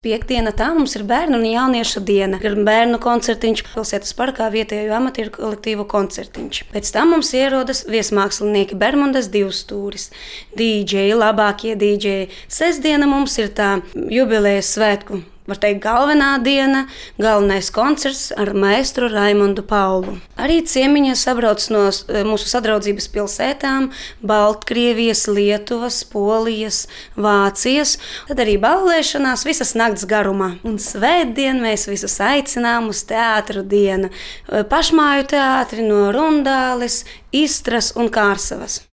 Piektdiena tā mums ir bērnu un jauniešu diena. Ir bērnu koncertiņš, pilsētas parkā vietējo amatieru kolektīvu koncertiņš. Pēc tam mums ierodas viesmākslinieki Bermudas divstūris, dīdžeji, labākie dīdžeji. Sestdiena mums ir tā jubilejas svētku. Var teikt, galvenā diena, galvenais koncerts ar maestru Raimondu Paulu. Arī ciemiņi sabrauc no mūsu sadraudzības pilsētām – Baltkrievijas, Lietuvas, Polijas, Vācijas. Tad arī ballēšanās visas nakts garumā. Un svētdien mēs visus aicinām uz teātru dienu. Pašmāju teātri no Rundāles, Istras un Kārsavas.